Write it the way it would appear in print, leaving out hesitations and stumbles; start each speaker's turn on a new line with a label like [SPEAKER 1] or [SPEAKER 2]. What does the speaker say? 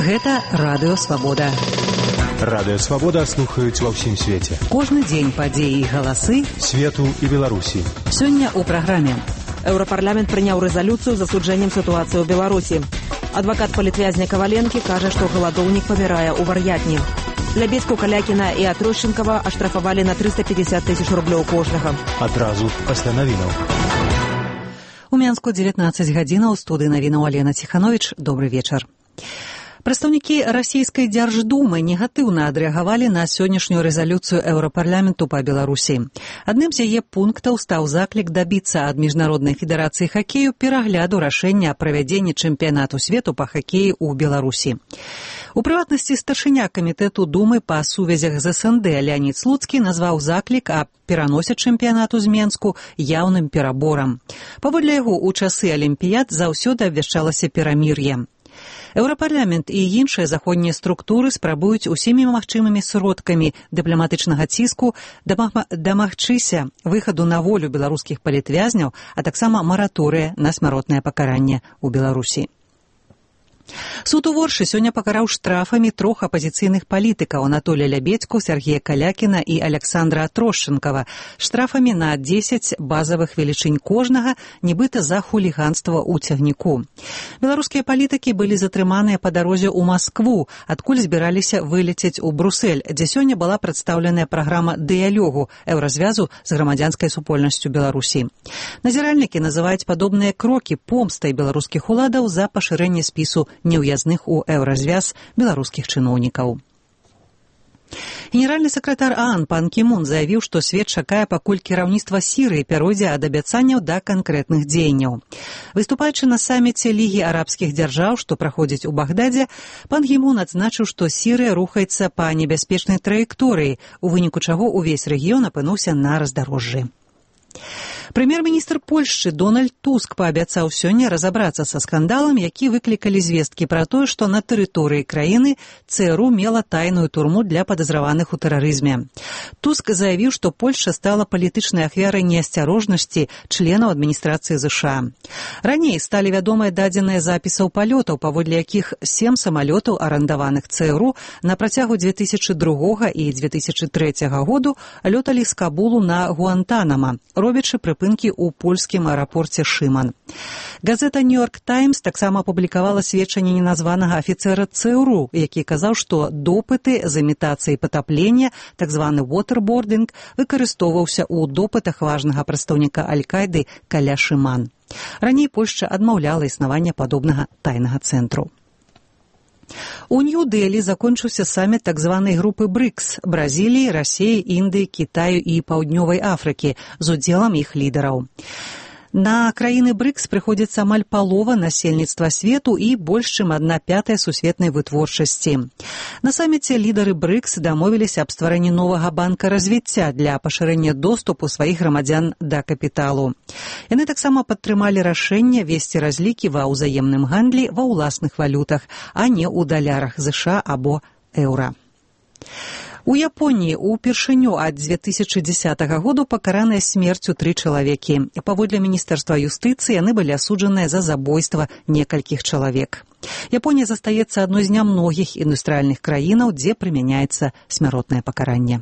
[SPEAKER 1] Гэта Радыё Свабода.
[SPEAKER 2] Радыё Свабода слухаюць ва ўсім свеце.
[SPEAKER 1] Кожны дзень падзеі і галасы
[SPEAKER 2] свету і Беларусі.
[SPEAKER 1] Сёння ў праграме.
[SPEAKER 3] Еўрапарламент прыняў рэзалюцыю з засуджэннем сітуацыі ў Беларусі. Адвакат палітвязня Каваленкі кажа, што галадоўнік памірае ў вар'ятні. Лябедзьку, Калякіна і Атрощенкава аштрафавалі на 350 тысяч рублёў кожнага.
[SPEAKER 2] Адразу пасля навінаў.
[SPEAKER 1] У Мянску 19 гадзінаў, у студыі навінаў Алена Ціхановіч. Добры вечар. Прадстаўнікі расійскай дзярждумы негатыўна адрэагавалі на сённяшнюю рэзалюцыю Еўрапарламенту па Беларусі. Адным з яе пунктаў стаў заклік дабіцца ад Міжнароднай федэрацыі хакею перагляду рашэння аб правядзенні чэмпіянату свету па хакеі ў Беларусі. У прыватнасці старшыня камітэту Думы па сувязях з СНД Леонід Слуцкі назваў заклік аб пераносе чэмпіянату з Менску яўным пераборам. Паводле яго, у часы алімпіяд заўсёды абвяшчалася перамір'е. Еўрапарламент і іншыя заходнія структуры спрабуюць усімі магчымымі сродкамі дыпламатычнага ціску дамагчыся выхаду на волю беларускіх палітвязняў, а таксама мараторыя на смяротнае пакаранне ў Беларусі. Суд у Воршы сёння пакараў штрафамі трох апазіцыйных палітыкаў Анатолія Лябедзьку, Сергея Калякіна і Александра Атрощенкава штрафамі на 10 базавых велічынь кожнага, нібыта за хуліганства ў цягніку. Беларускія палітыкі былі затрыманыя па дарозе ў Маскву, адкуль збіраліся вылецець у Брусэль, дзе сёння была прадстаўленая праграма дыялогу еўразвязу з грамадзянскай супольнасцю Беларусі. Назіральнікі называюць падобныя крокі помстай беларускіх уладаў за пашырэнне спісу неўязных у еўразвяз беларускіх чыноўнікаў. Генеральны сакратар ААН пан Кімун заявіў, што свет чакае, пакуль кіраўніцтва Сірыі пяройдзе ад абяцанняў да канкрэтных дзеянняў. Выступаючы на саміце Лігі арабскіх дзяржаў, што праходзіць у Багдадзе, пан Кімун адзначыў, што Сірыя рухаецца па небяспечнай траекторыі, у выніку чаго ўвесь рэгіён апынуўся на раздарожжы. Прэм'ер-міністр Польшчы Дональд Туск паабяцаў сёння разабрацца са скандалам, які выклікалі звесткі пра тое, што на тэрыторыі краіны ЦРУ мела тайную турму для падазраваных у тэрарызме. Туск заявіў, што Польшча стала палітычнай ахвярай неасцярожнасці членаў адміністрацыі ЗША. Раней сталі вядомыя дадзеныя запісаў палётаў, паводле якіх 7 самалётаў, арандаваных ЦРУ, на працягу 2002 і 2003 году лёталі з Кабулу на Гуантанама, робячы прыпынкі ў польскім аэрапорце Шыман. Газета «Нью-Йорк Таймс» таксама апублікавала сведчанне неназванага афіцэра ЦРУ, які казаў, што допыты з імітацыяй патаплення, так званы waterboarding, выкарыстоўваўся ў допытах важнага прадстаўніка Аль-Кайды каля Шыман. Раней Польшча адмаўляла існаванне падобнага тайнага цэнтру. У Нью-Дэлі закончыўся саміт так званай групы БРИКС – Бразіліі, Расіі, Індыі, Кітаю і Паўднёвай Афрыкі з удзелам іх лідараў. На краіны БРИКС прыходзіцца амаль палова насельніцтва свету і больш чым 1/5 сусветнай вытворчасці. На саміце лідары БРИКС дамовіліся аб стварэнні новага банка развіцця для пашырэння доступу сваіх грамадзян да капіталу. Яны таксама падтрымалі рашэнне весці разлікі ва ўзаемным гандлі ва ўласных валютах, а не ў далярах ЗША або еўра. У Японіі ўпершыню ад 2010 году пакараныя смерцю 3 чалавекі. Паводле Міністэрства юстыцыі яны былі асуджаныя за забойства некалькіх чалавек. Японія застаецца адной з нямногіх індустрыяльных краінаў, дзе прымяняецца смяротнае пакаранне.